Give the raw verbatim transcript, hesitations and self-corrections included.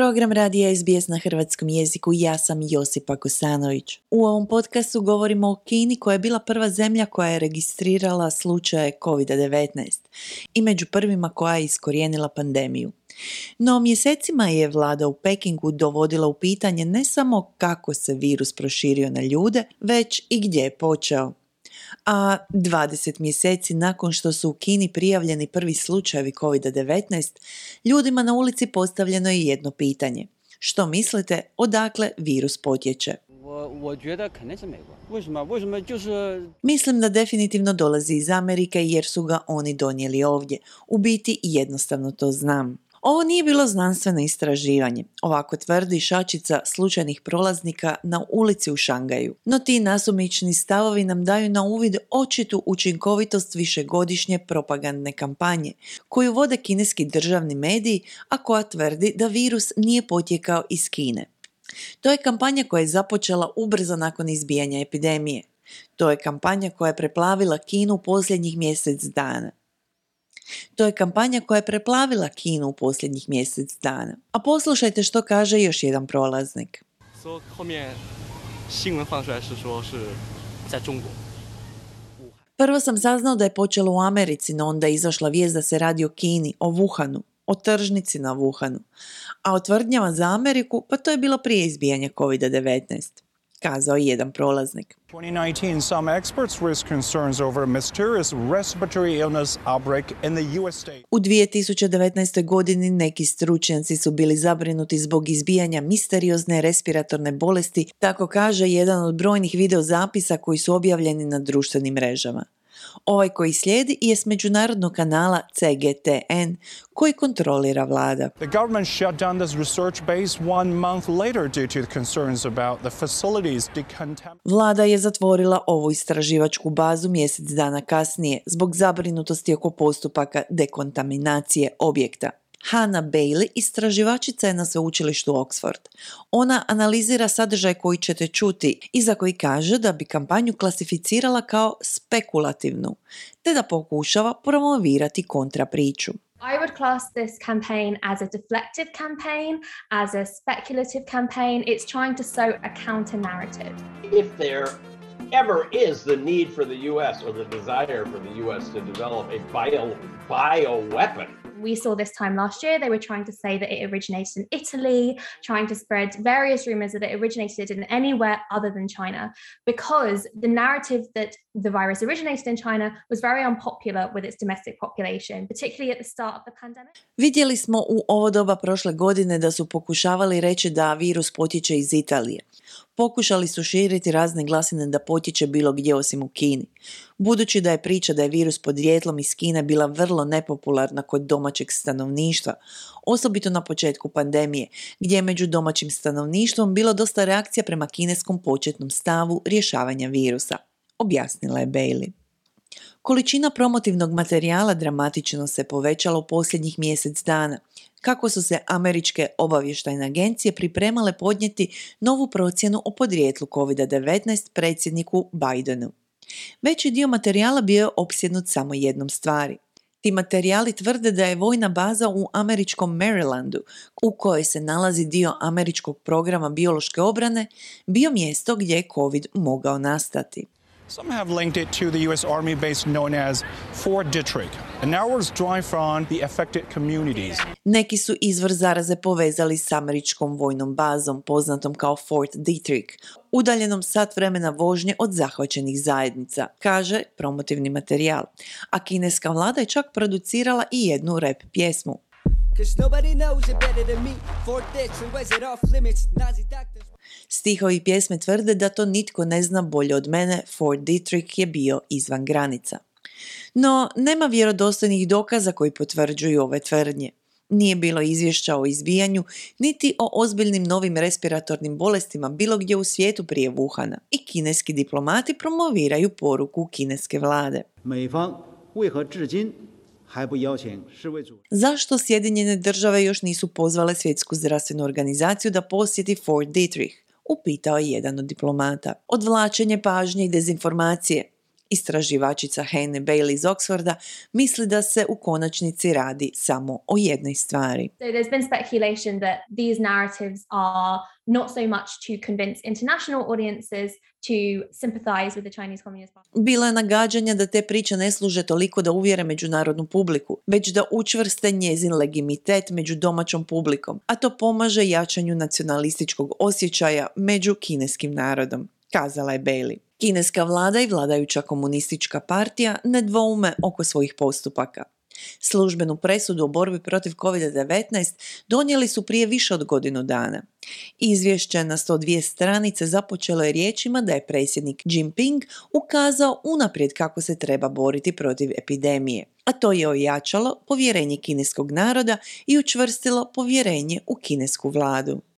Program radija S B S na hrvatskom jeziku, ja sam Josipa Kosanović. U ovom podcastu govorimo o Kini koja je bila prva zemlja koja je registrirala slučaje kovid devetnaest i među prvima koja je iskorijenila pandemiju. No mjesecima je vlada u Pekingu dovodila u pitanje ne samo kako se virus proširio na ljude, već i gdje je počeo. A dvadeset mjeseci nakon što su u Kini prijavljeni prvi slučajevi kovid devetnaest, ljudima na ulici postavljeno je jedno pitanje. Što mislite, odakle virus potječe? Mislim da definitivno dolazi iz Amerike jer su ga oni donijeli ovdje. U biti jednostavno to znam. Ovo nije bilo znanstveno istraživanje, ovako tvrdi šačica slučajnih prolaznika na ulici u Šangaju. No ti nasumični stavovi nam daju na uvid očitu učinkovitost višegodišnje propagandne kampanje, koju vode kineski državni mediji, a koja tvrdi da virus nije potjekao iz Kine. To je kampanja koja je započela ubrzo nakon izbijanja epidemije. To je kampanja koja je preplavila Kinu posljednjih mjesec dana. To je kampanja koja je preplavila Kinu u posljednjih mjesec dana. A poslušajte što kaže još jedan prolaznik. Prvo sam saznao da je počelo u Americi, no onda je izašla vijest da se radi o Kini, o Wuhanu, o tržnici na Wuhanu. A o tvrdnjama za Ameriku, pa to je bilo prije izbijanja kovid devetnaest. Kazao je jedan prolaznik. twenty nineteen, some experts raised concerns over a mysterious respiratory illness outbreak in the U S state. U dvije tisuće devetnaestoj. godini neki stručnjaci su bili zabrinuti zbog izbijanja misteriozne respiratorne bolesti, tako kaže jedan od brojnih videozapisa koji su objavljeni na društvenim mrežama. Ovaj koji slijedi je s međunarodnog kanala C G T N koji kontrolira vlada. The government shut down this research base one month later due to concerns about the facilities decontamination. Vlada je zatvorila ovu istraživačku bazu mjesec dana kasnije zbog zabrinutosti oko postupaka dekontaminacije objekta. Hannah Bailey, istraživačica je na sveučilištu Oxford. Ona analizira sadržaj koji ćete čuti i za koji kaže da bi kampanju klasificirala kao spekulativnu, te da pokušava promovirati kontrapriču. I would class this campaign as a deflective campaign, as a speculative campaign. It's trying to sow a counter-narrative. If there ever is the need for the U S or the desire for the U S to develop a bio, bioweapon. We saw this time last year, they were trying to say that it originated in Italy, trying to spread various rumors that it originated in anywhere other than China, because the narrative that the virus originated in China was very unpopular with its domestic population, particularly at the start of the pandemic. Vidjeli smo u ovo doba prošle godine da su pokušavali reći da virus potječe iz Italije. Pokušali su širiti razne glasine da potječe bilo gdje osim u Kini. Budući da je priča da je virus podrijetlom iz Kine bila vrlo nepopularna kod domaćeg stanovništva, osobito na početku pandemije, gdje je među domaćim stanovništvom bilo dosta reakcija prema kineskom početnom stavu rješavanja virusa, objasnila je Bailey. Količina promotivnog materijala dramatično se povećala u posljednjih mjesec dana, kako su se američke obavještajne agencije pripremale podnijeti novu procjenu o podrijetlu kovid devetnaest predsjedniku Bidenu. Veći dio materijala bio je opsjednut samo jednom stvari. Ti materijali tvrde da je vojna baza u američkom Marylandu, u kojoj se nalazi dio američkog programa biološke obrane, bio mjesto gdje je COVID mogao nastati. Some have linked it to the U S Army base known as Fort Detrick, an hour's drive from the affected communities. Neki su izvor zaraze povezali s američkom vojnom bazom, poznatom kao Fort Detrick, udaljenom sat vremena vožnje od zahvaćenih zajednica, kaže promotivni materijal. A kineska vlada je čak producirala i jednu rap pjesmu. Stihovi pjesme tvrde da to nitko ne zna bolje od mene, Fort Detrick je bio izvan granica. No, nema vjerodostojnih dokaza koji potvrđuju ove tvrdnje. Nije bilo izvješća o izbijanju, niti o ozbiljnim novim respiratornim bolestima bilo gdje u svijetu prije Wuhana. I kineski diplomati promoviraju poruku kineske vlade. Zašto Sjedinjene države još nisu pozvale Svjetsku zdravstvenu organizaciju da posjeti Fort Detrick? Upitao je jedan od diplomata. Odvlačenje pažnje i dezinformacije. Istraživačica Hannah Bailey iz Oxforda misli da se u konačnici radi samo o jednoj stvari. So there's been speculation that these narratives are not so much to convince international audiences to sympathize with the Chinese Communist Party. Bilo je nagađanja da te priče ne služe toliko da uvjere međunarodnu publiku, već da učvrste njezin legitimitet među domaćom publikom, a to pomaže jačanju nacionalističkog osjećaja među kineskim narodom, kazala je Bailey. Kineska vlada i vladajuća komunistička partija ne dvoume oko svojih postupaka. Službenu presudu o borbi protiv kovid devetnaest donijeli su prije više od godinu dana. Izvješće na sto dvije stranice započelo je riječima da je predsjednik Jinping ukazao unaprijed kako se treba boriti protiv epidemije, a to je ojačalo povjerenje kineskog naroda i učvrstilo povjerenje u kinesku vladu.